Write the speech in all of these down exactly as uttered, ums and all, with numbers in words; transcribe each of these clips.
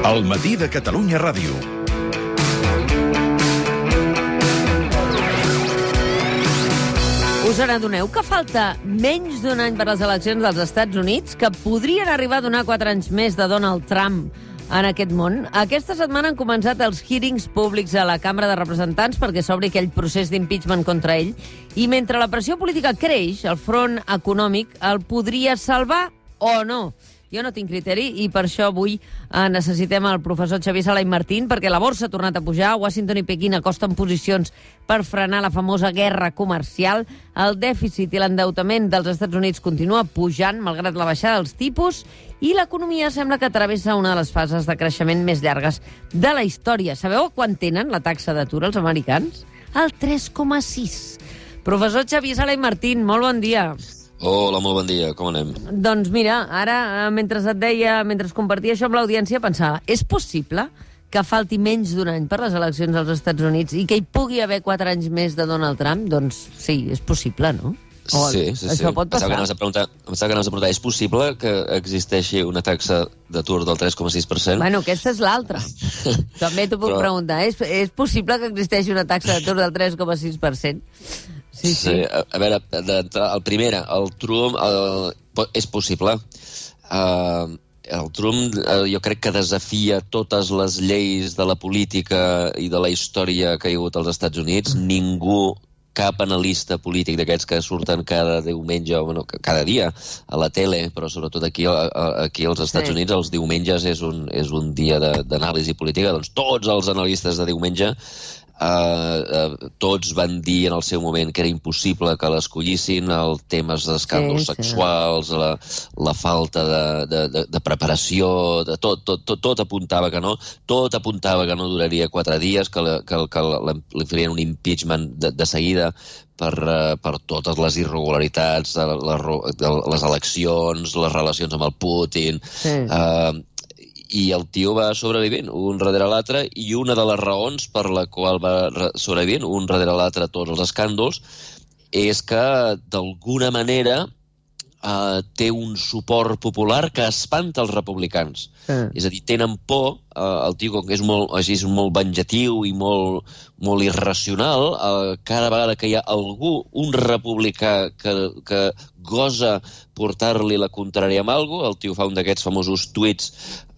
El matí de Catalunya Ràdio. Us n'adoneu que falta menys d'un any per les eleccions dels Estats Units, que podrien arribar a donar quatre anys més de Donald Trump en aquest món? Aquesta setmana han començat els hearings públics a la Cambra de Representants perquè s'obri aquell procés d'impeachment contra ell, i mentre la pressió política creix, el front econòmic el podria salvar o no. Jo no tinc criteri i per això avui eh, necessitem el professor Xavier Sala i Martín, perquè la borsa ha tornat a pujar, Washington i Pequín acosten posicions per frenar la famosa guerra comercial, el dèficit i l'endeutament dels Estats Units continua pujant, malgrat la baixada dels tipus, i l'economia sembla que travessa una de les fases de creixement més llargues de la història. Sabeu quan tenen la taxa d'atur els americans? El tres coma sis. Professor Xavier Sala i Martín, molt bon dia. Hola, molt bon dia, com anem? Doncs mira, ara, mentre et deia, mentre compartia això amb l'audiència, pensava, és possible que falti menys d'un any per les eleccions als Estats Units i que hi pugui haver quatre anys més de Donald Trump? Doncs sí, és possible, no? O sí, sí, això sí. pot passar. Em pensava que anaves a preguntar, és possible que existeixi una taxa d'atur del tres coma sis per cent? Bueno, aquesta és l'altra. També t'ho puc Però... preguntar. És, és possible que existeixi una taxa d'atur del tres coma sis per cent? Sí, sí. sí a, a veure, el primer, el Trump, el, és possible. Uh, el Trump uh, jo crec que desafia totes les lleis de la política i de la història que hi ha hagut als Estats Units. Mm. Ningú, cap analista polític d'aquests que surten cada diumenge, bueno, cada dia a la tele, però sobretot aquí, a, aquí als Estats sí. Units, els diumenges és un, és un dia d'anàlisi política, doncs tots els analistes de diumenge Uh, uh, tots van dir en el seu moment que era impossible que l'escollissin, els temes d'escàndols sí, sexuals, sí. La, la falta de, de, de, de preparació, de tot, tot, tot, tot apuntava que no, tot apuntava que no duraria quatre dies, que, la, que, que la, li farien un impeachment de, de seguida per, uh, per totes les irregularitats de, la, de les eleccions, les relacions amb el Putin... Sí. Uh, i el tio va sobrevivint un darrere l'altre, i una de les raons per la qual va sobrevivint un darrere l'altre a tots els escàndols és que d'alguna manera eh, té un suport popular que espanta els republicans. Sí. És a dir, tenen por, eh, el tio com que és molt, així, és molt venjatiu i molt, molt irracional, eh, cada vegada que hi ha algú, un republicà que, que gosa portar-li la contrària amb alguna cosa, el tio fa un d'aquests famosos tuits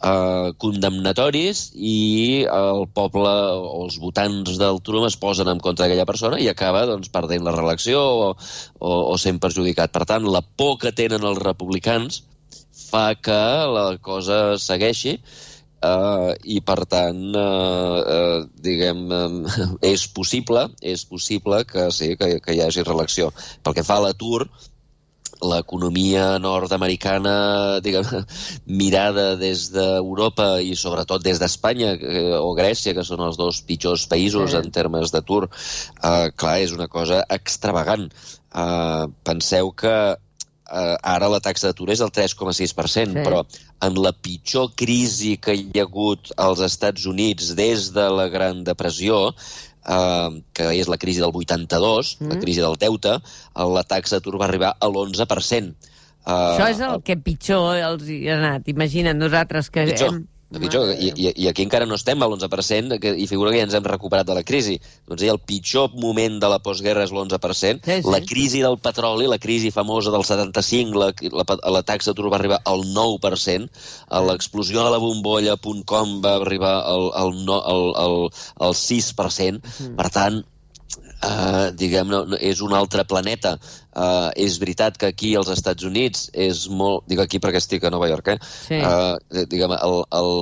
eh, condemnatoris i el poble o els votants del Trump es posen en contra d'aquella persona i acaba doncs, perdent la reelecció o, o, o sent perjudicat. Per tant, la por que tenen els republicans fa que la cosa segueixi uh, i, per tant, uh, uh, diguem, uh, és possible, és possible que sí, que, que hi hagi reelecció. Pel que fa a l'atur, l'economia nord-americana, diguem, mirada des d'Europa i sobretot des d'Espanya eh, o Grècia, que són els dos pitjors països sí. En termes d'atur, eh, clar, és una cosa extravagant. Eh, penseu que eh, ara la taxa d'atur és del tres coma sis per cent, sí. Però en la pitjor crisi que hi ha hagut als Estats Units des de la Gran Depressió, Uh, que és la crisi del vuitanta-dos, mm. la crisi del deute, la taxa d'atur va arribar a l'onze per cent. Uh, Això és el uh, que pitjor els hi ha anat. Imagina't nosaltres que... Pitjor. Hem... Pitjor, i, i, i aquí encara no estem a l'onze per cent que, i figura que ja ens hem recuperat de la crisi. Doncs el pitjor moment de la postguerra és l'onze per cent. Sí, sí. La crisi del petroli, la crisi famosa del setanta-cinc, la, la, la taxa d'atur va arribar al nou per cent. L'explosió de la bombolla punt com va arribar al, al, al, al, al sis per cent. Mm. Per tant, Uh, diguem, no, no, és un altre planeta. Uh, és veritat que aquí als Estats Units és molt... Dic aquí perquè estic a Nova York, eh? Sí. Uh, diguem, el, el,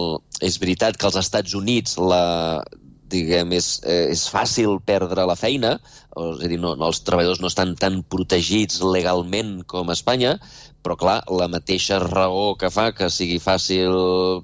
és veritat que als Estats Units la, diguem, és, és fàcil perdre la feina, o, és a dir, no, no, els treballadors no estan tan protegits legalment com a Espanya, però clar, la mateixa raó que fa que sigui fàcil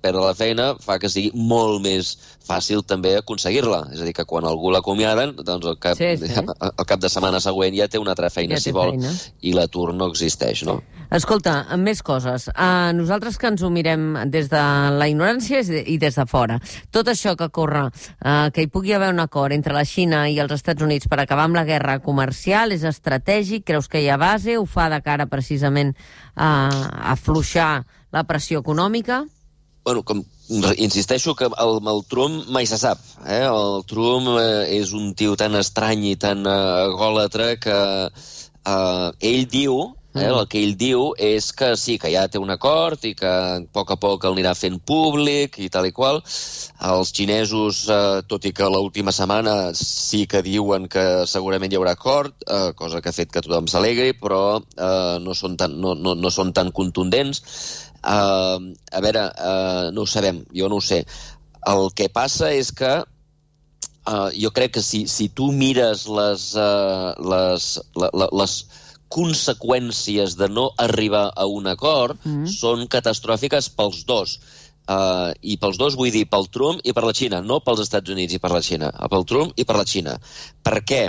perdre la feina fa que sigui molt més fàcil també aconseguir-la. És a dir, que quan algú l'acomiaden, doncs al cap, sí, sí. al cap de setmana següent ja té una altra feina, ja si vol, feina. I l'atur no existeix, no? Escolta, més coses. Uh, nosaltres que ens ho mirem des de la ignorància i des de fora, tot això que corre, uh, que hi pugui haver un acord entre la Xina i els Estats Units per acabar amb la guerra comercial, és estratègic? Creus que hi ha base? Ho fa de cara precisament a afluixar la pressió econòmica? Bueno, com, insisteixo que el, el Trump mai se sap. Eh? El Trump eh, és un tio tan estrany i tan uh, egòlatre que uh, ell diu, eh, el que ell diu és que sí, que ja té un acord i que a poc a poc el anirà fent públic i tal i qual. Els xinesos, eh, tot i que l'última setmana sí que diuen que segurament hi haurà acord, eh, cosa que ha fet que tothom s'alegri, però eh, no, són tan, no, no, no són tan contundents. Uh, a veure, uh, no ho sabem, jo no ho sé. El que passa és que uh, jo crec que si, si tu mires les, uh, les, la, la, les conseqüències de no arribar a un acord, mm. són catastròfiques pels dos. Uh, I pels dos vull dir pel Trump i per la Xina, no pels Estats Units i per la Xina, pel Trump i per la Xina. Per què?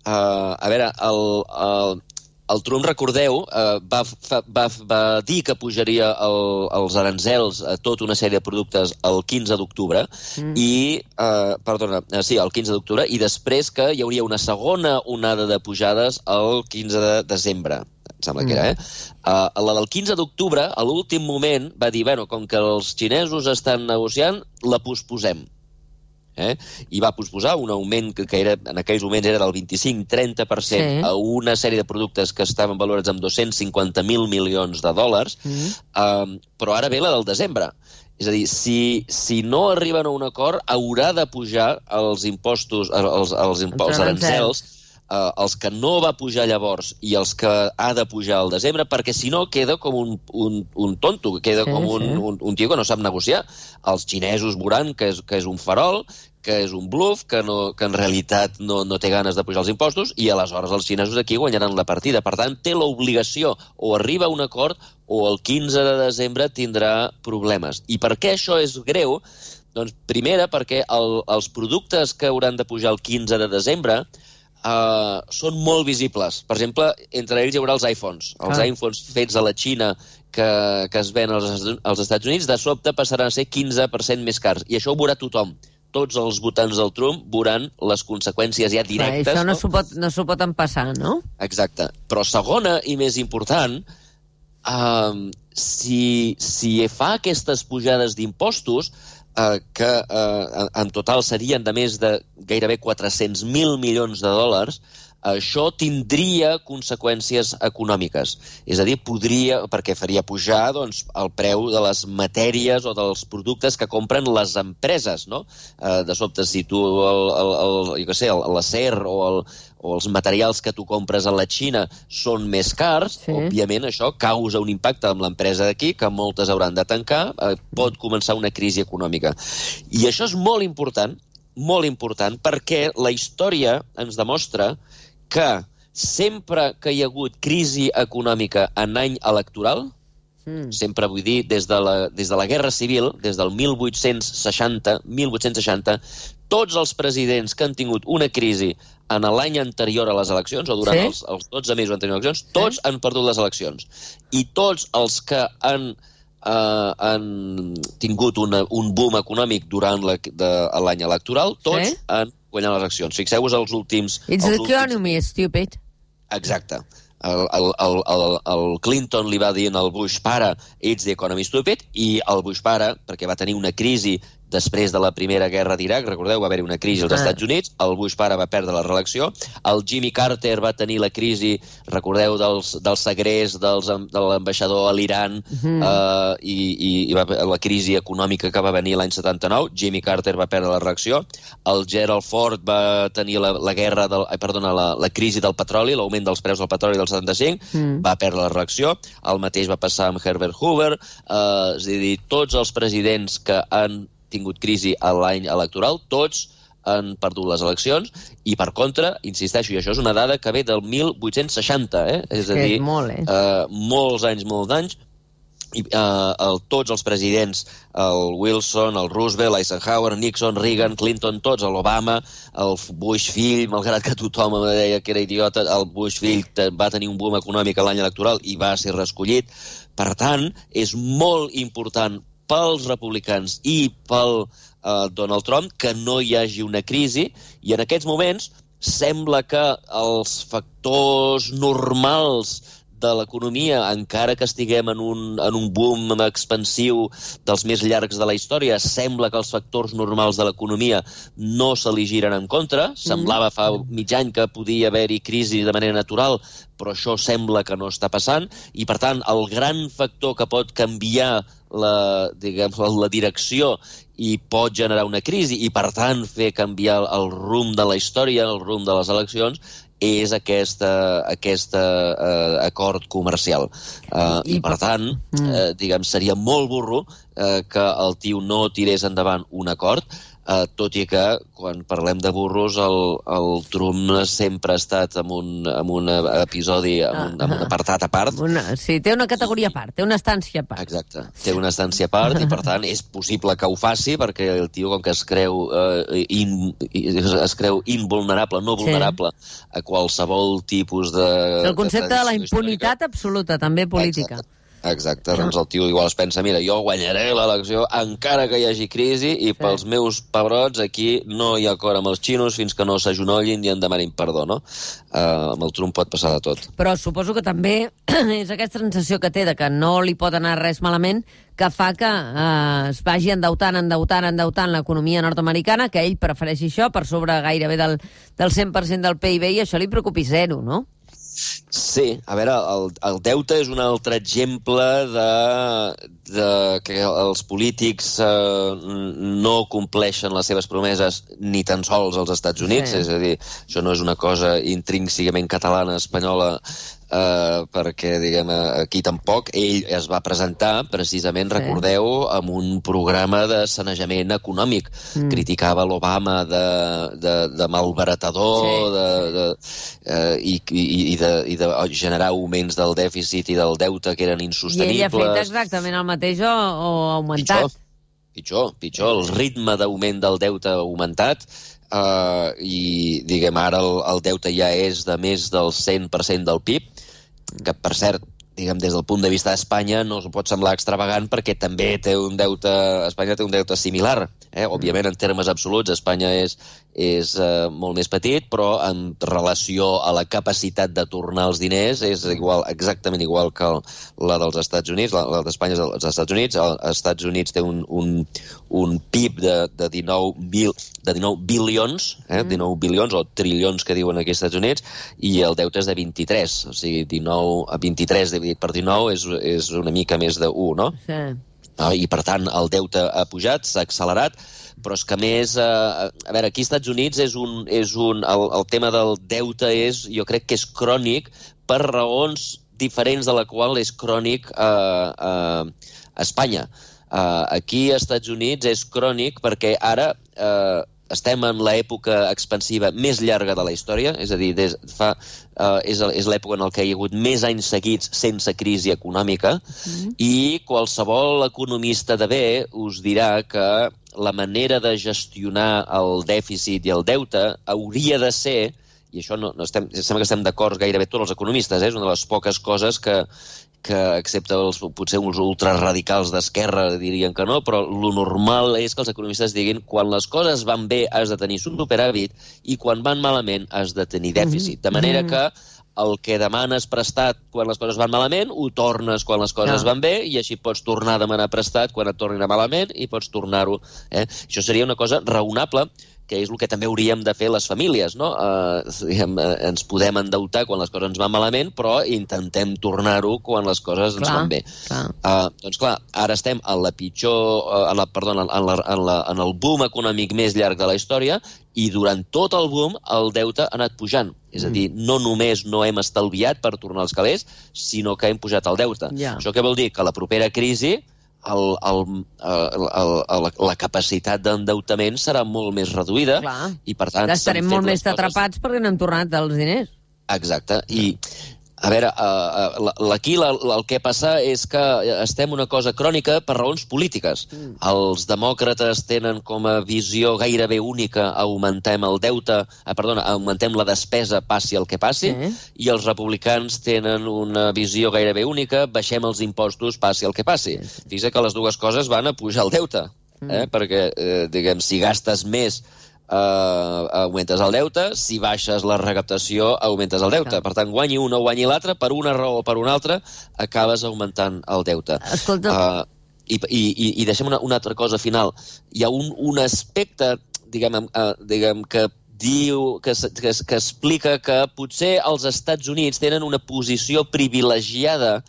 Uh, a veure, el... el El Trump, recordeu, eh, va, va, va dir que pujaria el, els aranzels a tota una sèrie de productes el quinze d'octubre, mm. i, eh, perdona, sí, el quinze d'octubre, i després que hi hauria una segona onada de pujades el quinze de desembre. Em sembla mm. que era, eh? Uh, la del quinze d'octubre, a l'últim moment, va dir, bueno, com que els xinesos estan negociant, la posposem. Eh? I va posposar un augment que, que era, en aquells moments era del vint-i-cinc a trenta per cent sí. a una sèrie de productes que estaven valorats amb dos-cents cinquanta mil milions de dòlars, mm. um, però ara ve la del desembre. És a dir, si, si no arriben a un acord, haurà de pujar els impostos, els, els, impo els aranzels, uh, els que no va pujar llavors i els que ha de pujar al desembre, perquè si no queda com un, un, un tonto, queda sí, com un, sí. un, un tio que no sap negociar. Els xinesos veuran que és, que és un farol, que és un bluff, que, no, que en realitat no, no té ganes de pujar els impostos, i aleshores els xinesos aquí guanyaran la partida. Per tant, té l'obligació, o arriba a un acord, o el quinze de desembre tindrà problemes. I per què això és greu? Doncs, primera, perquè el, els productes que hauran de pujar el quinze de desembre Uh, són molt visibles. Per exemple, entre ells hi haurà els iPhones. Els ah. iPhones fets a la Xina que, que es ven als, als Estats Units, de sobte passaran a ser quinze per cent més cars. I això ho veurà tothom. Tots els votants del Trump veuran les conseqüències ja directes. Clar, això no, no? s'ho pot, no s'ho pot empassar, no? Exacte. Però segona i més important, uh, si, si fa aquestes pujades d'impostos, Uh, que uh, en total serien de més de gairebé quatre-cents mil milions de dòlars, això tindria conseqüències econòmiques. És a dir, podria, perquè faria pujar doncs, el preu de les matèries o dels productes que compren les empreses, no? Uh, de sobte, si tu, el, el, el, jo què sé, l'acer o, el, o els materials que tu compres a la Xina són més cars, sí. òbviament això causa un impacte amb l'empresa d'aquí, que moltes hauran de tancar, eh, pot començar una crisi econòmica. I això és molt important, molt important, perquè la història ens demostra que sempre que hi ha hagut crisi econòmica en any electoral, mm. sempre vull dir, des de, la, des de la Guerra Civil, des del mil vuit-cents seixanta, mil vuit-cents seixanta, tots els presidents que han tingut una crisi en l'any anterior a les eleccions, o durant sí? els, els dotze mesos anteriors a les eleccions, tots sí? han perdut les eleccions. I tots els que han, uh, han tingut una, un boom econòmic durant l'any electoral, tots sí? han guanyat les eleccions. Fixeu-vos els últims... It's els the economy, últims... stupid. Exacte. El, el, el, el, el Clinton li va dir al Bush pare, it's the economy stupid, i el Bush pare, perquè va tenir una crisi després de la primera guerra d'Iraq, recordeu, va haver-hi una crisi als ah. Estats Units, el Bush pare va perdre la reelecció, el Jimmy Carter va tenir la crisi, recordeu, dels, del segrest dels, de l'ambaixador a l'Iran, mm. uh, i, i, i va, la crisi econòmica que va venir l'any setanta-nou, Jimmy Carter va perdre la reelecció, el Gerald Ford va tenir la, la guerra, del, eh, perdona, la, la crisi del petroli, l'augment dels preus del petroli del setanta-cinc, mm. va perdre la reelecció, el mateix va passar amb Herbert Hoover, uh, és a dir, tots els presidents que han tingut crisi a l'any electoral, tots han perdut les eleccions, i per contra, insisteixo, i això és una dada que ve del mil vuit-cents seixanta, eh? és a dir, és molt, eh? uh, molts anys, molts anys, i uh, el, tots els presidents, el Wilson, el Roosevelt, Eisenhower, Nixon, Reagan, Clinton, tots, l'Obama, el Bush fill, malgrat que tothom em deia que era idiota, el Bush fill va tenir un boom econòmic a l'any electoral i va ser reescollit. Per tant, és molt important pels republicans i pel uh, Donald Trump que no hi hagi una crisi, i en aquests moments sembla que els factors normals de l'economia, encara que estiguem en un, en un boom expansiu dels més llargs de la història, sembla que els factors normals de l'economia no se li giren en contra. Semblava fa mig any que podia haver-hi crisi de manera natural, però això sembla que no està passant, i per tant el gran factor que pot canviar la, diguem, la direcció i pot generar una crisi i per tant fer canviar el rumb de la història, el rumb de les eleccions, és aquesta, aquesta uh, acord comercial. Uh, I, I per tant, uh, diguem, seria molt burro uh, que el tio no tirés endavant un acord, Uh, tot i que, quan parlem de burros, el, el Trump sempre ha estat en un, en un episodi, en un, en un apartat a part. Una, sí, té una categoria a part, té una estància a part. Exacte, té una estància a part i, per tant, és possible que ho faci, perquè el tio, com que es creu, uh, in, es creu invulnerable, no vulnerable, sí, a qualsevol tipus de... El concepte de, de la impunitat històrica absoluta, també política. Exacte. Exacte, doncs el tio igual es pensa, mira, jo guanyaré l'elecció encara que hi hagi crisi i sí, pels meus pebrots aquí no hi ha acord amb els xinos fins que no s'agenollin i en demanin perdó, no? Uh, amb el Trump pot passar de tot. Però suposo que també és aquesta sensació que té de que no li pot anar res malament que fa que uh, es vagi endeutant, endeutant, endeutant l'economia nord-americana, que ell prefereixi això per sobre gairebé del, del cent per cent del P I B i això li preocupi zero, no? Sí, a veure, el, el deute és un altre exemple de, de que els polítics eh, no compleixen les seves promeses ni tan sols als Estats Units, sí, és a dir, això no és una cosa intrínsecament catalana, espanyola, eh, perquè, diguem, aquí tampoc. Ell es va presentar, precisament, sí, recordeu, amb un programa de sanejament econòmic. Mm. Criticava l'Obama de, de, de malbaratador, sí, de, de, eh, i, i, i, de, i de generar augments del dèficit i del deute que eren insostenibles. I ell ha fet exactament el mateix o, o augmentat. Pitjor, pitjor, pitjor. El ritme d'augment del deute ha augmentat. Uh, i, diguem, ara el, el deute ja és de més del cent per cent del P I B, que, per cert, diguem, des del punt de vista d'Espanya no us pot semblar extravagant perquè també té un deute, Espanya té un deute similar. Eh? Òbviament, en termes absoluts, Espanya és, és uh, molt més petit, però en relació a la capacitat de tornar els diners és igual, exactament igual que el, la dels Estats Units, la, la d'Espanya és dels Estats Units. Els Estats Units té un, un, un P I B de, de, dinou, mil, de dinou bilions, eh? mm. dinou bilions o trilions que diuen aquí als Estats Units, i el deute és de vint-i-tres, o sigui, dinou a vint-i-tres dividit per dinou és, és una mica més de u, no? Sí. Uh, I, per tant, el deute ha pujat, s'ha accelerat, però és que, a més, uh, a veure, aquí als Estats Units és un, és un, el, el tema del deute és, jo crec que és crònic per raons diferents de la qual és crònic uh, uh, a Espanya. Uh, aquí als Estats Units és crònic perquè ara uh, estem en l'època expansiva més llarga de la història, és a dir, des, fa, uh, és, és l'època en què hi ha hagut més anys seguits sense crisi econòmica, mm. i qualsevol economista de bé us dirà que la manera de gestionar el dèficit i el deute hauria de ser, i això no, no estem, sembla que estem d'acord gairebé tots els economistes, eh? És una de les poques coses que, que excepte els, potser uns ultraradicals d'esquerra dirien que no, però lo normal és que els economistes diguin quan les coses van bé has de tenir superàvit i quan van malament has de tenir dèficit. De manera que el que demanes prestat quan les coses van malament, ho tornes quan les coses no. van bé, i així pots tornar a demanar prestat quan et tornin a malament i pots tornar-ho. Eh? Això seria una cosa raonable, que és el que també hauríem de fer les famílies, no? Eh, diguem, eh, ens podem endeutar quan les coses ens van malament, però intentem tornar-ho quan les coses ens clar, van bé. Clar. Uh, doncs clar, ara estem en la pitjor, uh, en la, perdona, en, la, en, la, en el boom econòmic més llarg de la història, i durant tot el boom el deute ha anat pujant. És a dir, no només no hem estalviat per tornar els calés, sinó que hem pujat el deute. Yeah. Això què vol dir? Que la propera crisi El, el, el, el, el, la capacitat d'endeutament serà molt més reduïda. Clar. I per tant estarem molt més coses... atrapats perquè no hem tornat els diners. Exacte, i a veure, uh, aquí la, la, el que passa és que estem una cosa crònica per raons polítiques. Mm. Els demòcrates tenen com a visió gairebé única augmentem el deute, ah, perdona, augmentem la despesa passi el que passi, sí. I els republicans tenen una visió gairebé única, baixem els impostos passi el que passi. Sí, sí. Fixa que les dues coses van a pujar el deute, mm. eh? Perquè, eh, diguem, si gastes més Uh, augmentes el deute, si baixes la recaptació, augmentes el deute. Per tant, guanyi un o guanyi l'altre, per una raó o per una altra, acabes augmentant el deute. Escolta... Uh, i, i, I deixem una, una altra cosa final. Hi ha un, un aspecte, diguem, uh, diguem que diu, que, que, que explica que potser els Estats Units tenen una posició privilegiada,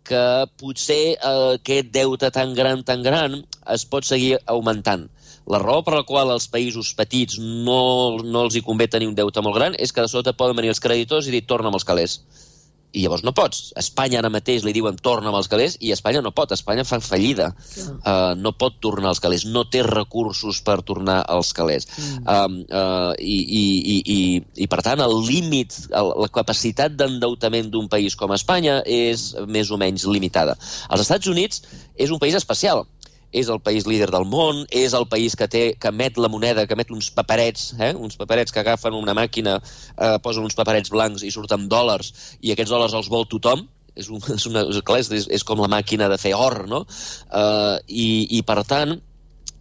que potser uh, aquest deute tan gran, tan gran, es pot seguir augmentant. La raó per la qual als països petits no, no els hi convé tenir un deute molt gran és que de sota poden venir els creditors i dir torna'm els calés. I llavors no pots. A Espanya ara mateix li diuen torna'm els calés i Espanya no pot. Espanya fa fallida. Uh, no pot tornar els calés. No té recursos per tornar els calés. Mm. Uh, uh, i, i, i, i, I per tant el límit, el, la capacitat d'endeutament d'un país com Espanya és més o menys limitada. Els Estats Units és un país especial. És el país líder del món, és el país que té que emet la moneda, que emet uns paperets, eh? uns paperets que agafen una màquina, eh, posen uns paperets blancs i surten dòlars, i aquests dòlars els vol tothom. És, un, és, una, és, és com la màquina de fer or, no? Uh, i, I, per tant,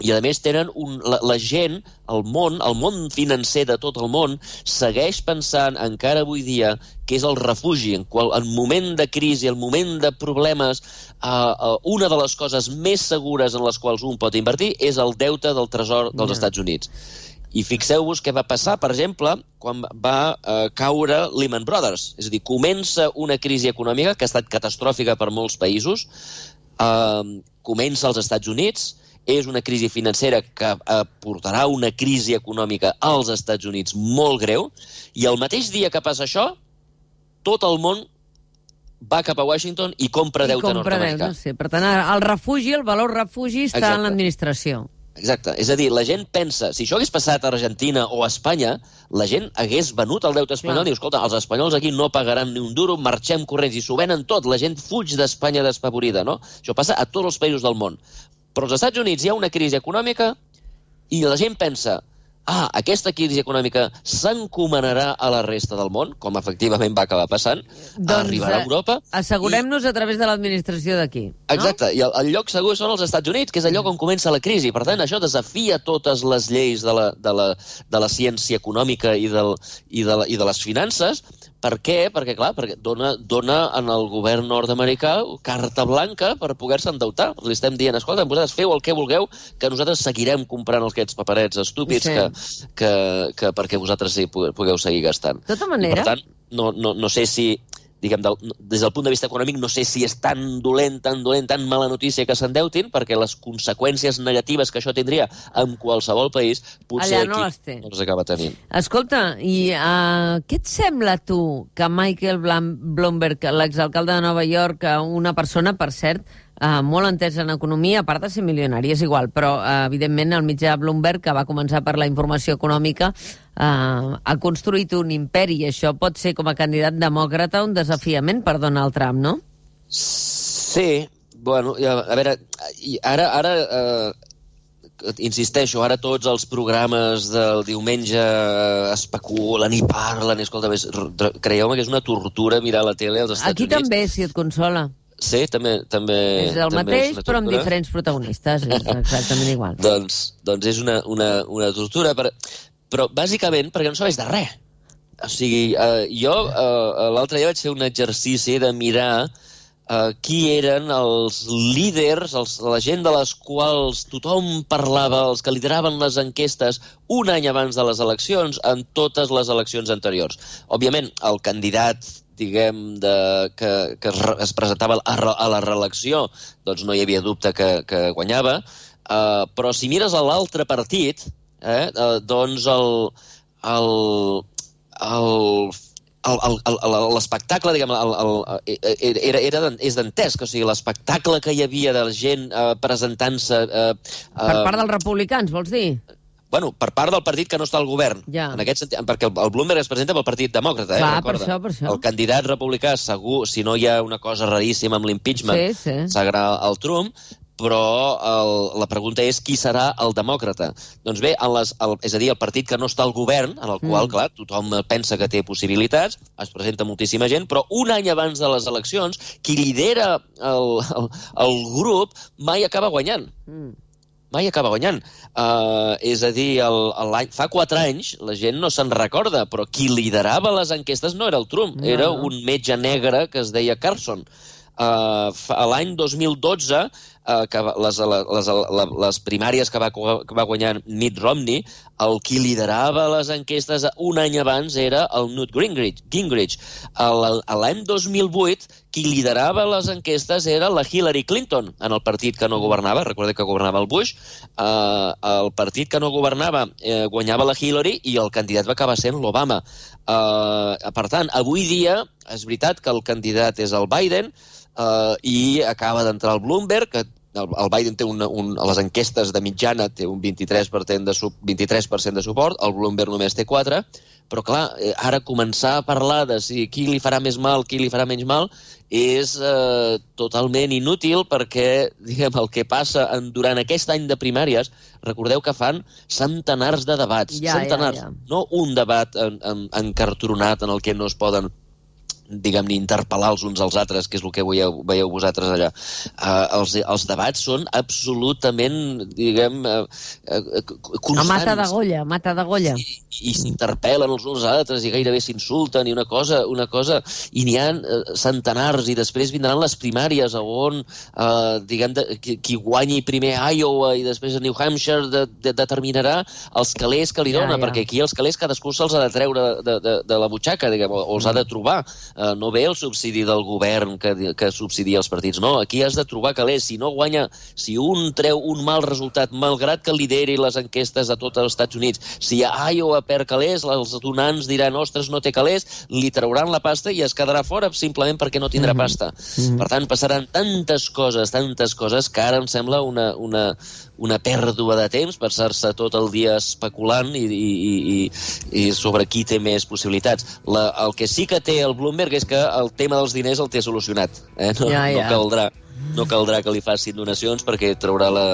i a més tenen un, la, la gent, el món, el món financer de tot el món, segueix pensant encara avui dia que és el refugi. En, qual, en moment de crisi, en moment de problemes, uh, uh, una de les coses més segures en les quals un pot invertir és el deute del tresor dels yeah. Estats Units. I fixeu-vos què va passar, per exemple, quan va uh, caure Lehman Brothers. És a dir, comença una crisi econòmica que ha estat catastròfica per molts països, uh, comença als Estats Units, és una crisi financera que portarà una crisi econòmica als Estats Units molt greu, i el mateix dia que passa això, tot el món va cap a Washington i compra I deute compra nord-americà. Deute, sí. Per tant, el refugi, el valor refugi està Exacte. En l'administració. Exacte. És a dir, la gent pensa, si això hagués passat a Argentina o a Espanya, la gent hagués venut el deute espanyol. Clar. I diu, escolta, els espanyols aquí no pagaran ni un duro, marxem corrents, i s'ho venen tot. La gent fuig d'Espanya despavorida, no? Això passa a tots els països del món. Però als Estats Units hi ha una crisi econòmica i la gent pensa, ah, aquesta crisi econòmica s'encomanarà a la resta del món, com efectivament va acabar passant, doncs, arribarà a Europa... Assegurem-nos i... a través de l'administració d'aquí. No? Exacte, i el, el lloc segur són els Estats Units, que és el lloc on comença la crisi. Per tant, això desafia totes les lleis de la, de la, de la ciència econòmica i, del, i, de la, i de les finances. Per què? Perquè, clar, perquè dona, dona en el govern nord-americà carta blanca per poder-se endeutar. Li estem dient, escolta, vosaltres feu el que vulgueu, que nosaltres seguirem comprant aquests paperets estúpids sí. que, que, que perquè vosaltres sí, pugueu seguir gastant. De tota manera... I, per tant, no, no, no sé si... Diguem, del, des del punt de vista econòmic, no sé si és tan dolent, tan dolent, tan mala notícia que s'endeutin, perquè les conseqüències negatives que això tindria en qualsevol país, potser allà no aquí no les acaba tenint. Escolta, i uh, què et sembla tu que Michael Bloomberg, l'exalcalde de Nova York, una persona, per cert, Uh, molt entès en economia, a part de ser milionari, és igual, però uh, evidentment el mitjà Bloomberg, que va començar per la informació econòmica, uh, ha construït un imperi, i això pot ser com a candidat demòcrata un desafiament per Donald Trump, no? Sí, bueno, a veure, ara, ara uh, insisteixo, ara tots els programes del diumenge especulen i parlen, i escolta, creieu-me que és una tortura mirar la tele als Estats Aquí Units. Aquí també, si et consola. Sí, també... també és el també mateix, és però amb diferents protagonistes, és exactament igual. doncs, doncs és una, una, una tortura, però, però bàsicament perquè no sabeix de res. O sigui, eh, jo eh, l'altre dia vaig fer un exercici de mirar eh, qui eren els líders, els, la gent de les quals tothom parlava, els que lideraven les enquestes un any abans de les eleccions, en totes les eleccions anteriors. Òbviament, el candidat diguem, de, que, que es presentava a, a la reelecció, doncs no hi havia dubte que, que guanyava, uh, però si mires a l'altre partit, eh, uh, doncs el, el, el, l'espectacle, diguem, el, el, era, era, és dantesc, o sigui, l'espectacle que hi havia de la gent uh, presentant-se... Uh, uh, per part dels republicans, vols dir? Bueno, per part del partit que no està al govern. Ja. En aquest sentit, perquè el, el Bloomberg es presenta pel Partit Demòcrata, eh? Clar, Recorda. per això, per això. El candidat republicà, segur, si no hi ha una cosa raríssima amb l'impeachment, sí, sí. serà el Trump, però el, la pregunta és qui serà el demòcrata. Doncs bé, en les, el, és a dir, el partit que no està al govern, en el qual, mm. clar, tothom pensa que té possibilitats, es presenta moltíssima gent, però un any abans de les eleccions, qui lidera el, el, el grup mai acaba guanyant. Mm. mai acaba guanyant. Uh, és a dir, el, el, fa quatre anys la gent no se'n recorda, però qui liderava les enquestes no era el Trump, no. Era un metge negre que es deia Carson. Uh, L'any dos mil dotze, uh, que les, les, les, les primàries que va, que va guanyar Mitt Romney, el qui liderava les enquestes un any abans era el Newt Gingrich. Gingrich. L'any dos mil vuit, qui liderava les enquestes era la Hillary Clinton, en el partit que no governava, recordeu que governava el Bush, uh, el partit que no governava eh, guanyava la Hillary i el candidat va acabar sent l'Obama. Uh, per tant, avui dia és veritat que el candidat és el Biden, Uh, i acaba d'entrar el Bloomberg, que el, el Biden té una, un, a les enquestes de mitjana té un vint-i-tres per cent de, vint-i-tres per cent de suport, el Bloomberg només té quatre, però clar, ara començar a parlar de si qui li farà més mal, qui li farà menys mal, és uh, totalment inútil perquè, diguem, el que passa en, durant aquest any de primàries, recordeu que fan centenars de debats, ja, centenars, ja, ja. No un debat en, en, encartronat en el que no es poden diguem-ne, interpel·lar els uns als altres, que és el que veieu, veieu vosaltres allà. Uh, els, els debats són absolutament, diguem, uh, uh, constants. A mata d'agolla, mata d'agolla. I, i s'interpel·len els uns als altres i gairebé s'insulten i una cosa, una cosa, i n'hi ha uh, centenars i després vindran les primàries on, uh, diguem, de, qui, qui guanyi primer a Iowa i després a New Hampshire de, de, determinarà els calés que li dona, ja, ja. Perquè aquí els calés cadascú se'ls ha de treure de, de, de la butxaca, diguem, o, o els ha de trobar. Uh, no ve el subsidi del govern que, que subsidia els partits, no, aquí has de trobar calés, si no guanya, si un treu un mal resultat, malgrat que lideri les enquestes a tots els Estats Units, si a Iowa perd calés, els donants diran, ostres, no té calés, li trauran la pasta i es quedarà fora simplement perquè no tindrà pasta. Mm-hmm. Per tant, passaran tantes coses, tantes coses, que ara em sembla una, una, una pèrdua de temps per ser-se tot el dia especulant i, i, i, i sobre qui té més possibilitats. La, el que sí que té el Bloomberg és que el tema dels diners el té solucionat. Eh? No, ja, ja. no, caldrà, no caldrà que li facin donacions perquè traurà la,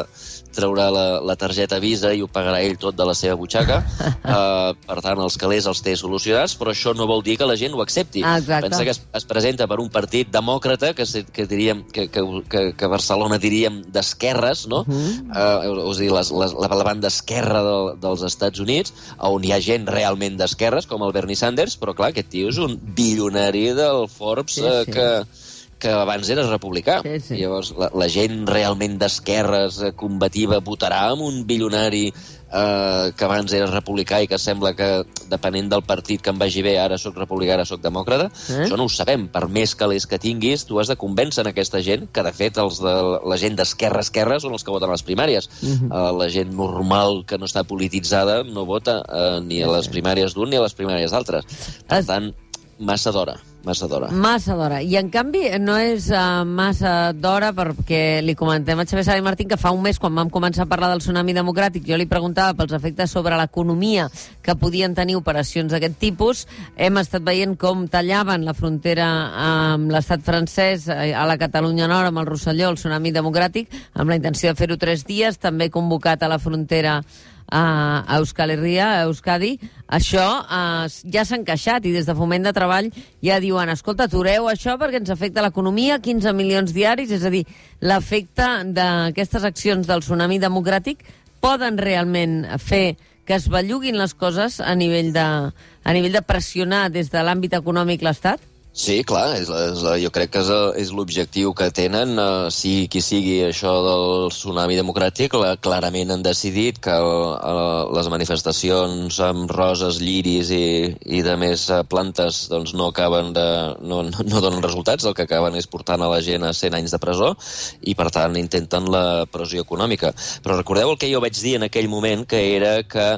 traurà la, la targeta Visa i ho pagarà ell tot de la seva butxaca. uh, per tant, els calés els té solucionats, però això no vol dir que la gent ho accepti. Ah, pensa que es, es presenta per un partit demòcrata, que, que, diríem, que, que, que, que Barcelona diríem d'esquerres, no? Uh-huh. uh, és a dir, les, les, la, la banda esquerra de, dels Estats Units, on hi ha gent realment d'esquerres, com el Bernie Sanders, però clar, aquest tio és un bilionari del Forbes, sí, sí. Uh, que que abans era republicà. Sí, sí. Llavors, la, la gent realment d'esquerres, combativa, votarà amb un bilionari eh, que abans era republicà i que sembla que, depenent del partit que em vagi bé, ara soc republicà, ara soc demòcrata. Eh? Això no ho sabem. Per més calés que tinguis, tu has de convèncer en aquesta gent, que de fet els de, la gent d'esquerra-esquerra són els que voten a les primàries. Uh-huh. eh, la gent normal que no està polititzada no vota eh, ni a les primàries d'un ni a les primàries d'altres. Per es... tant, massa d'hora. Massa d'hora. Massa d'hora. I, en canvi, no és uh, massa d'hora perquè li comentem a Xavier Sala i Martín que fa un mes, quan vam començar a parlar del tsunami democràtic, jo li preguntava pels efectes sobre l'economia que podien tenir operacions d'aquest tipus. Hem estat veient com tallaven la frontera amb l'estat francès a la Catalunya Nord, amb el Rosselló, el tsunami democràtic, amb la intenció de fer-ho tres dies, també convocat a la frontera a Euskal Herria, a Euskadi. Això eh, ja s'ha encaixat i des de Foment de Treball ja diuen, escolta, atureu això perquè ens afecta l'economia, quinze milions diaris, és a dir, l'efecte d'aquestes accions del tsunami democràtic poden realment fer que es belluguin les coses a nivell de, a nivell de pressionar des de l'àmbit econòmic l'Estat? Sí, clar, és, és, jo crec que és, és l'objectiu que tenen, uh, si qui sigui això del tsunami democràtic, la, clarament han decidit que uh, les manifestacions amb roses, lliris i, i de més uh, plantes doncs no acaben de, no, no, no donen resultats, el que acaben és portant a la gent a cent anys de presó i per tant intenten la pressió econòmica. Però recordeu el que jo vaig dir en aquell moment, que era que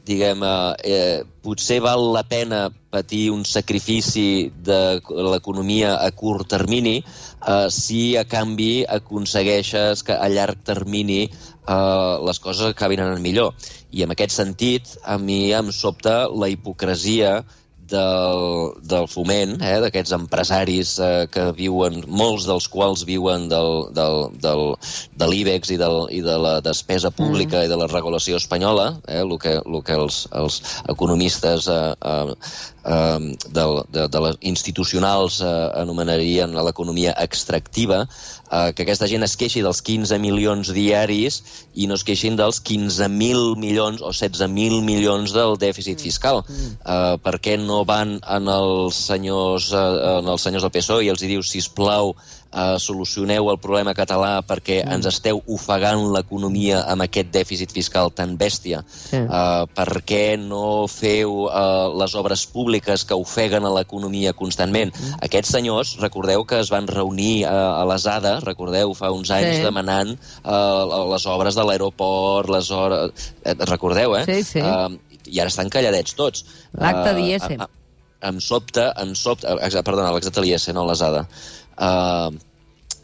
diguem, eh, potser val la pena patir un sacrifici de l'economia a curt termini eh, si a canvi aconsegueixes que a llarg termini eh, les coses acabin anant millor. I en aquest sentit, a mi em sobta la hipocresia del, del foment, eh, d'aquests empresaris eh, que viuen, molts dels quals viuen del, del, del, de l'IBEX i, del, i de la despesa pública mm. i de la regulació espanyola, eh, el que, el que els, els economistes eh, eh, eh, de, de, de les institucionals eh, anomenarien l'economia extractiva, eh, que aquesta gent es queixi dels quinze milions diaris i no es queixin dels quinze mil milions o setze mil milions del dèficit fiscal. Mm. Eh, per què no van en els senyors, eh, en els senyors del P S O E i els hi diu, sisplau, Uh, solucioneu el problema català perquè mm. ens esteu ofegant l'economia amb aquest dèficit fiscal tan bèstia. Sí. Uh, per què no feu uh, les obres públiques que ofeguen a l'economia constantment? Mm. Aquests senyors, recordeu que es van reunir uh, a l'Asada, recordeu, fa uns anys, sí. demanant uh, les obres de l'aeroport, les hores... Eh, recordeu, eh? Sí, sí. Uh, I ara estan calladets tots. L'acte uh, d'I S. Em sobta, em sobta... Perdona, l'acte de l'I S, no l'Asada. Uh,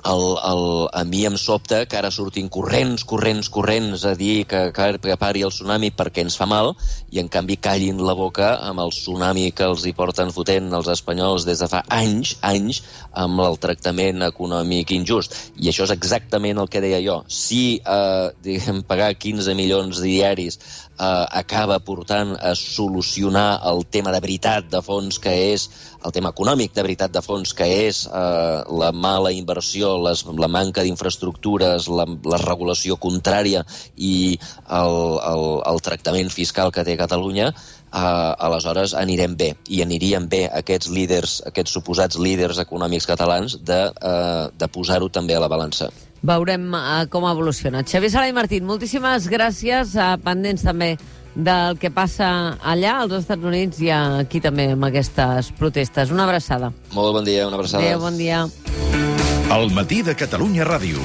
el, el, a mi em sobta que ara surtin corrents, corrents, corrents a dir que, que, que pari el tsunami perquè ens fa mal i en canvi callin la boca amb el tsunami que els hi porten fotent els espanyols des de fa anys, anys, amb el tractament econòmic injust. I això és exactament el que deia jo. Si eh, diguem, pagar quinze milions diaris eh, acaba portant a solucionar el tema de veritat de fons que és el tema econòmic de veritat de fons, que és eh, la mala inversió, les, la manca d'infraestructures, la, la regulació contrària i el, el, el tractament fiscal que té Catalunya, eh, aleshores anirem bé. I anirien bé aquests líders, aquests suposats líders econòmics catalans de, eh, de posar-ho també a la balança. Veurem uh, com evoluciona. Xavier Sala i Martín, moltíssimes gràcies, uh, pendents també del que passa allà, als Estats Units, i aquí també amb aquestes protestes. Una abraçada. Molt bon dia, una abraçada. Adéu, bon dia. El matí de Catalunya Ràdio.